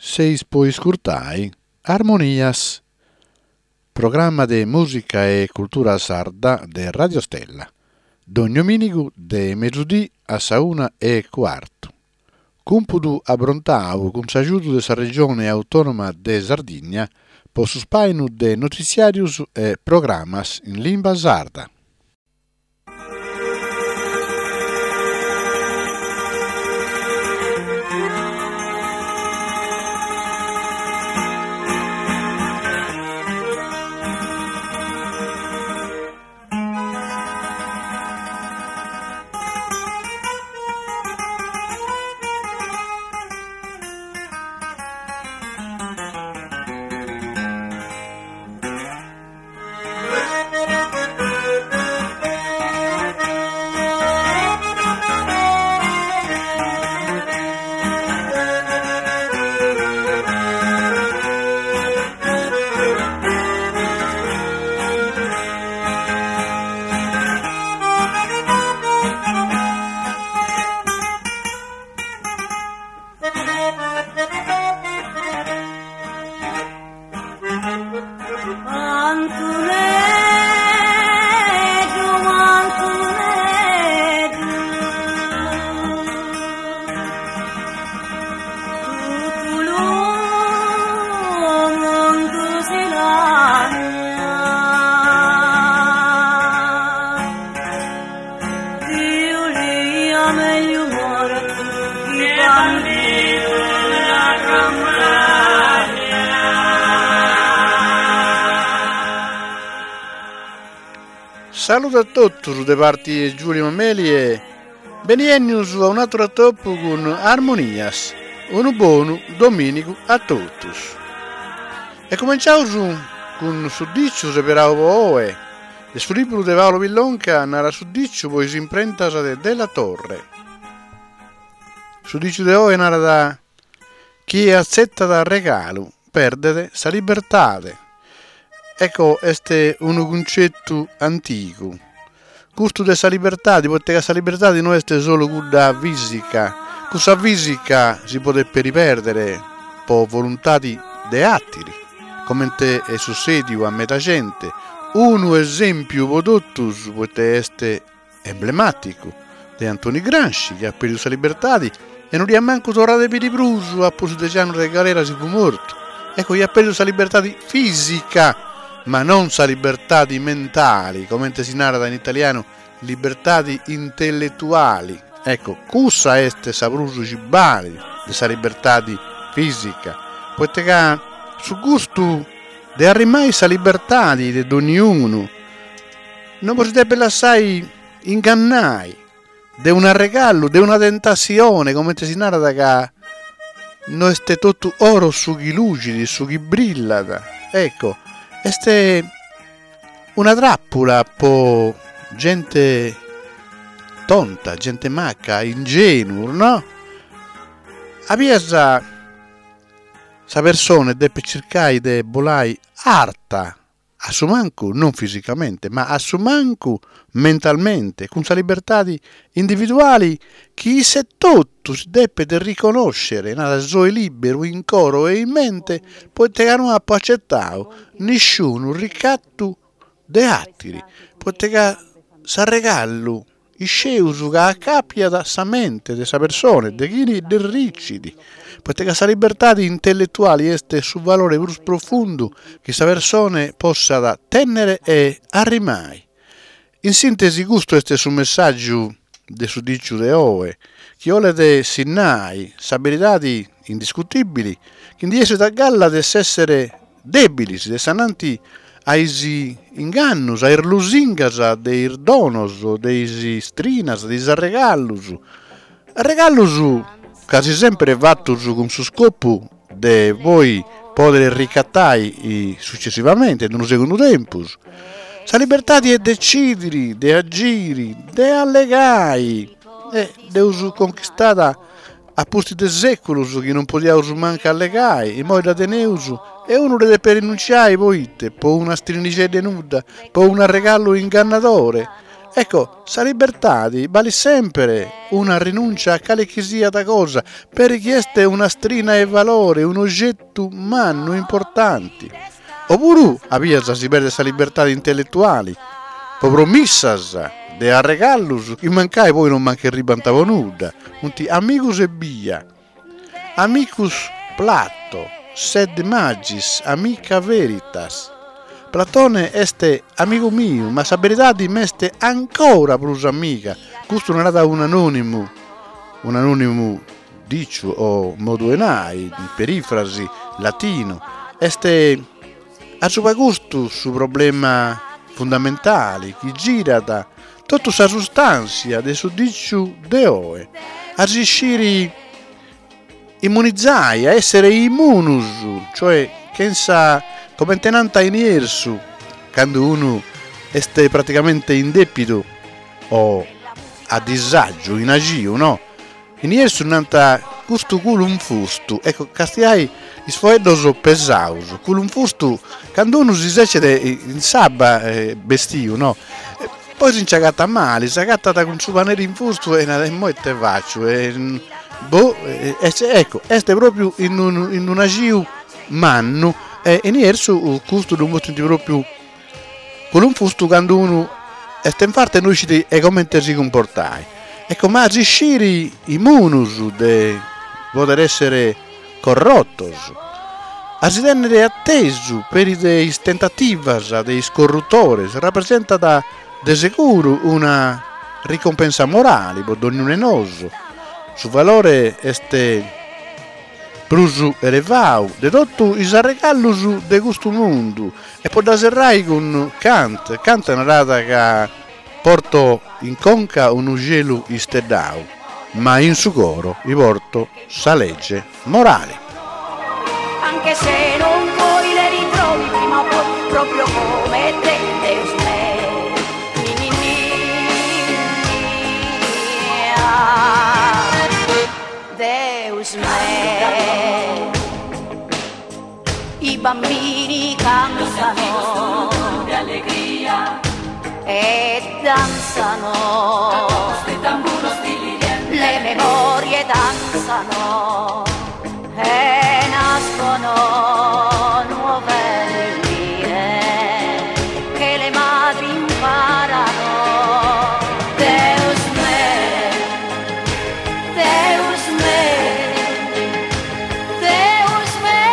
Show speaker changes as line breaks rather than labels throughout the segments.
Seis po iscurtai Armonias, programma de mùsica e cultura sarda de Radio Stella, dogni domìnigu de mesudì a sa una e cuartu. Cumpudu abrontau cun s'agiudu de sa Regione Autònoma de Sardigna po su spàinu de notitziàrius e programas in limba sarda. Saludu a totus de parti 'e Giulio Mameli e beniennius a un'atru atopu cun Armonias, unu bonu dominigu a totus. E cumenciaus cun su diciu seberau po oe, De su liburu de Paolo Pillonca narat su diciu po is imprentas de Della Torre. Su diciu de oe narat chie atzetat regalu perdet sa libertade. Ecco, est unu cuncettu antigu. Custu de sa libertade, poite ca sa libertade no est solu cudda fisica, cussa fisica si podet peri perdere po voluntade de atiri. Comente est sussediu a meda gente, unu esempiu po totus poite est emblematicu, de Antoni Gramsci chi at perdiu sa libertadi e no dd'iat mancu torrada a biri prus a pustis dexi annus de galera si fut mortu. Ecco, iat perdiu sa libertadi fisica, ma non sa libertadi mentali, comente si narat in italianu libertadi intelletuali. Ecco, cussa est sa prus chi balit de sa libertadi fisica, poite ca su gustu de arrimai sa libertadi de donniunu non si depet lassai ingannai de un'arregallu, de una tentassione, comente si narat ca no est totu oro su chi luxit, su chi brillat. Ecco, est Una tràpula po gente tonta, gente maca, ingenus, no? A bias sa persone depet circai de bolai arta, a su mancu non fisicamente, ma a su mancu mentalmente, cun sa libertadi individuali chi isse etotu si depet riconòscere, narat soe lìberu in coro e in mente poite ca no apo acetau nisciunu ricatu de àtiri, poite ca s'arregallu iscieus ca acapiat sa mente de sa persone, de chini dd'erricit, poite ca sa libertadi intelletuali est su valore prus profundu chi sa persone possat tènnere e arrimai. In sìntesi custu est su messàgiu de su dìciu de oe, chi 'olet sinnai sa beridadi indiscutìbili chi ndi essit a galla de s'èssere dèbilis de s'ananti a is ingannus, a is lusingas de is donos, de is istrinas, de is arregallus, arregallus casi sempri fatus cun su scopu de poi pòdere ricatai successivamente in unu segundu tempus. Sa libertadi 'e decidiri, de agiri, de allegai e dd'eus conchistada a pustis de sèculus chi non podiaus mancu allegai, immoi dda teneus e unu dda depet rinunciai poite? Po una strinixedda 'e nudda, po un'arregallu ingannadore. Ecco, sa libertade balit semper una rinuncia a cale chi siat cosa, peri chi est un'astrina 'e valore, un'ogetu mannu importante. Opuru a bias si perdet sa libertade intelletuale po promissas de arregallus chi mancai poi non mancu erribant po nudda, funt amigos ebbia. Amicus Plato, sed magis amica veritas. Platone est amigu miu, ma sa beridadi m'est ancora prus amiga. Custu narat un'anònimu, un'anònimu dìciu o modu 'e nai, perìfrasi, latinu. Est asuba custu su problema fundamentali chi girat Totu sa sustàntzia de su dìciu de oe, a si sciri immunizai, a èssere immunus, cioè chentza, comente nant in Iersu, candu unu est praticamente in dèpidu o a disàgiu, in axiu, no? In Iersu nant custu culu infustu, ecco, castiai is foeddos pesaus, culu infustu, candu unu si secet in s'abba bestiu, no, poi si nci agatat mali, s'agatat cun su paneri infustu e narat immoi ite faciu, e boh, ecco, est propriu in unu in un'axiu mannu e in Iersu custu ddu mutint propriu Culu infustu candu unu est in farta e no iscit e comente si cumportai. Ecco, ma a si sciri immunus de poder essere corrotos, a si tennere atesu peri de is tentativas de is corrutores rapresentat de seguru una ricompensa morali po dognunu 'e nosu. Su valore est prus elevau de totu is arregallus de custu mundu e po dda serrai cun Kant, Kant narat ca porto in conca unu xelu isteddau, ma in su coro i porto sa legge morale.
Anche se non vuoi le ritrovi prima o poi proprio come te Deus me ni ni ni ah, Deus me I bambini cantano e danzano le memorie danzano e nascono nuove ninnie che le madri imparano. Deus me, Deus me, Deus me.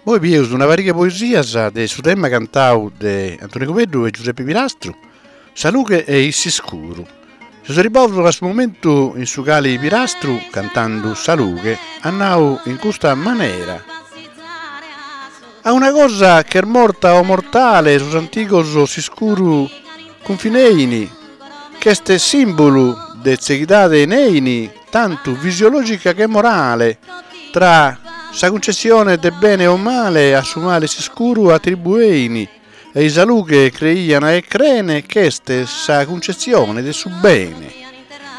Poi bieus una pariga 'e poesias de su tema cantau de Antoni Cubeddu e Giuseppe Pirastru, Sa lughe e s'iscuru. Seus arribbaus a su momentu in su cali Pirastru, cantandu Sa lughe, at nau in custa manera, A una cosa ch'est morta o mortale sos antigos s'iscuru cunfineini, ch'est simbulu de tzeghidade neini, tantu fisiologica che morale, tra sa cuncetzione de bene o male a su male s'iscuru atribueini, e-i sa lughe creian e crene ch'est sa cuncetzione de su bene.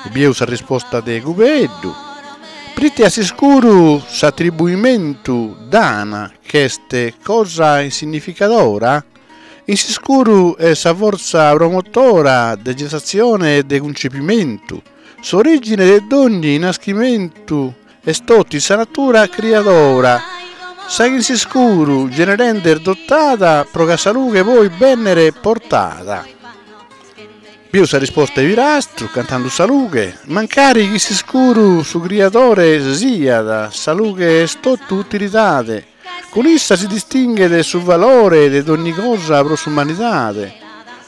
E bieus sa risposta de Cubeddu, Prite a s'iscuru s'atribuimentu dana ch'est cosa insignificadora? In s'iscuru est sa fortza promotora de gestatzione e de cuncepimentu, s'origine de dogni naschimentu est totu in sa natura criadora, sa chi in s'iscuru generende est dotada pro ch'a sa lughe poi bennere portada. Bieus sa risposta 'e Pirastru cantando sa lughe, mancari chi s'iscuru su criadore siat, sa lughe est totu utilidade, Cun issa si distinghet su valore de dogni cosa pro s'umanidade.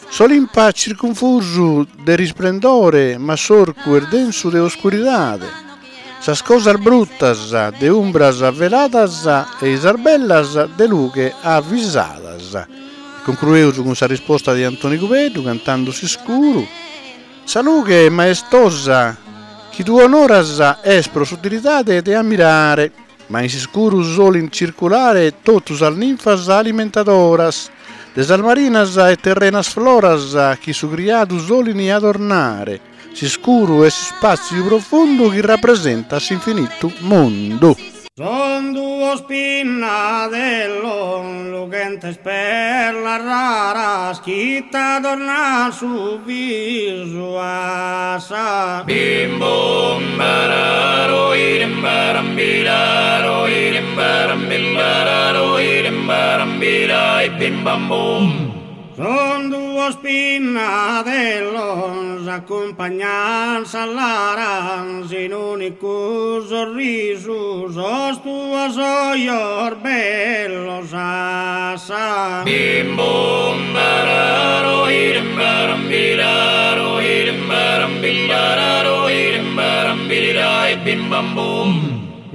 S'Olimpa circunfusu de risplendore, ma s'orcu est densu de oscuridade. Sas cosas brutas de umbras veladas e-i sas bellas de lughe avisadas. E concrueus cun sa risposta de Antoni Cubeddu cantando s'iscuru. Sa lughe maestosa chi tue onoras est pro s'utilidade de ammirare. Ma in s'iscuru solin circulare totu sas ninfas alimentadoras de sas marinas e terrenas floras chi su criadu solin adornare. S'iscuru 'e s'ispàtziu profundu chi rapresentat s'infinitu mundu.
Son duos pinnadellos lughentes perlas raras chi t'adornan su visu a sa.
Bim bum bararo irim baram biraro irim baram bim bararo irim baram birai bim bam bum.
Son duos pinnadellos accumpagnan sas laras in unicu sorrisu sos tuos ojos bellos a sa.
Bim bum bararo irim baram biraro irim baram bim bararo irim baram birirai bim bam bum.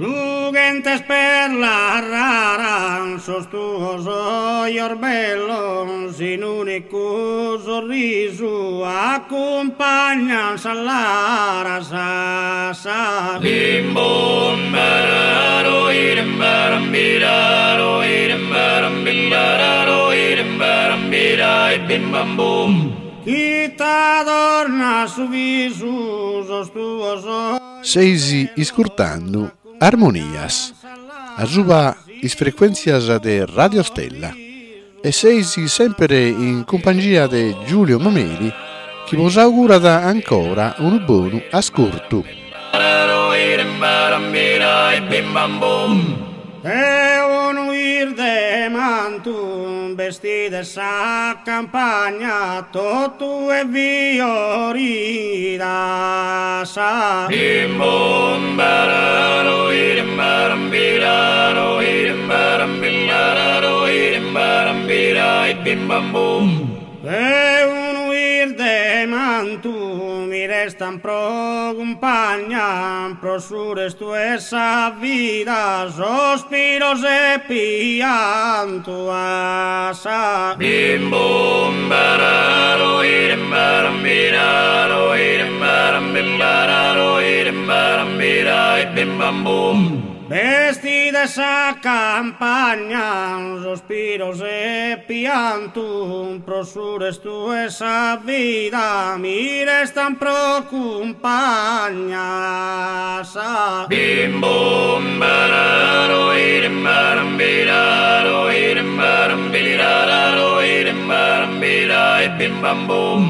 Lughentes perlas raras sos tuos ojos bellos in unicu sorrisu accumpagnan sas laras a sa.
Bim bum bararo irim baram biraro irim baram bim bararo irim baram birai bim bam bum.
Chi t'adorna su visu sos tuos ojos.
Seis iscurtando Armonias, asuba is frecuèntzias de Radio Stella e seis semper in cumpangia de Giulio Mameli chi bos augurat ancora unu bonu ascurtu.
E unu 'irde mantu bestide sa campagna totu est fiorida sa.
Bim bum bararo irim baram biraro irim baram bim bararo irim baram birai bim bam bum.
E unu 'irde mantu mi restan pro cumpagna pro su restu 'e sa vida sospiros e piantu a sa.
Bim bum bararo irim baram biraro irim baram bim bararo irim baram birai bim bam bum.
Bestide sa campagna sospiros e piantu pro su restu 'e sa vida mi restan pro cumpagna sa.
Bim bum bararo irim baram biraro irim baram birararo irim baram birai bim bam bum.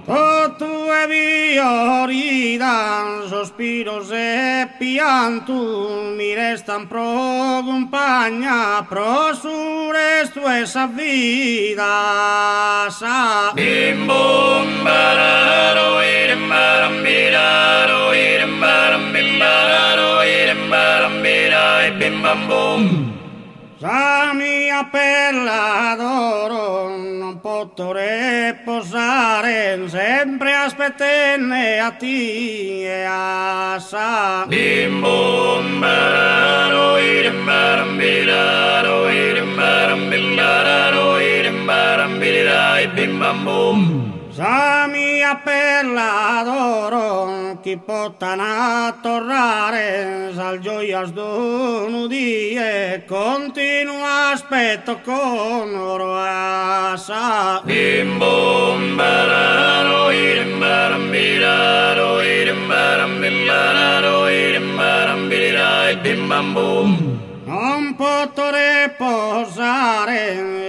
Totu est fiorida sospiros e piantu mi restan pro cumpagna pro su restu 'e sa vida sa.
Bim bum bararo irim baram biraro irim baram bim bararo irim baram birai bim bam bum.
Sa mia perla d'oro non poto reposare sempre aspettende a tie a sa.
Bim bum bararo irim baram biraro irim baram bim bararo irim baram birirai bim bam bum.
Sa mia perla d'oro chi potan torrare sas gioias d'unu die continu aspetto con oro a sa.
Bim bum bararo irim baram biraro irim baram bim bararo irim baram birirai bim bam bum.
Non poto reposare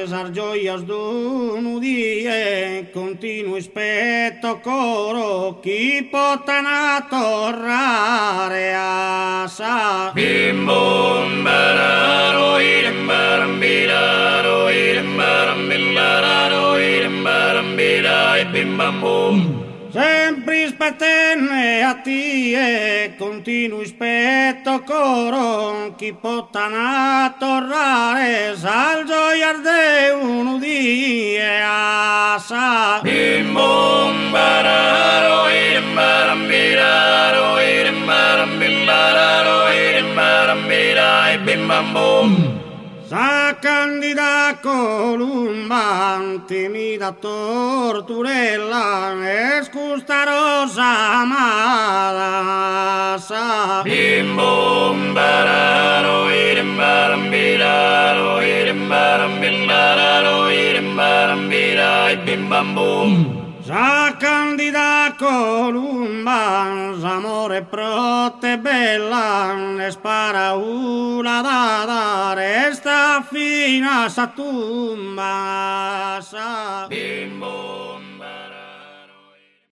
sas gioias d'unu die continu ispetto coro chi potan torrare a sa.
Bim bum bararo irim baram biraro irim baram bim bararo irim baram birai bim bam bum.
Sempre ispettende a tie continu ispetto coro chi potan torrare sas gioias de unu die a sa.
Bim bum bararo irim baram biraro irim baram bim bararo irim baram birai bim bam bum.
Sa candida columba timida torturella est custa rosa amada sa.
Bim bum bararo irim baram biraro irim baram bim bararo irim baram birai bim bam bum.
Sa candida columba, s'amore pro te bella, est paraula dada, resta fina a sa tumba. Sa.
Bim bum.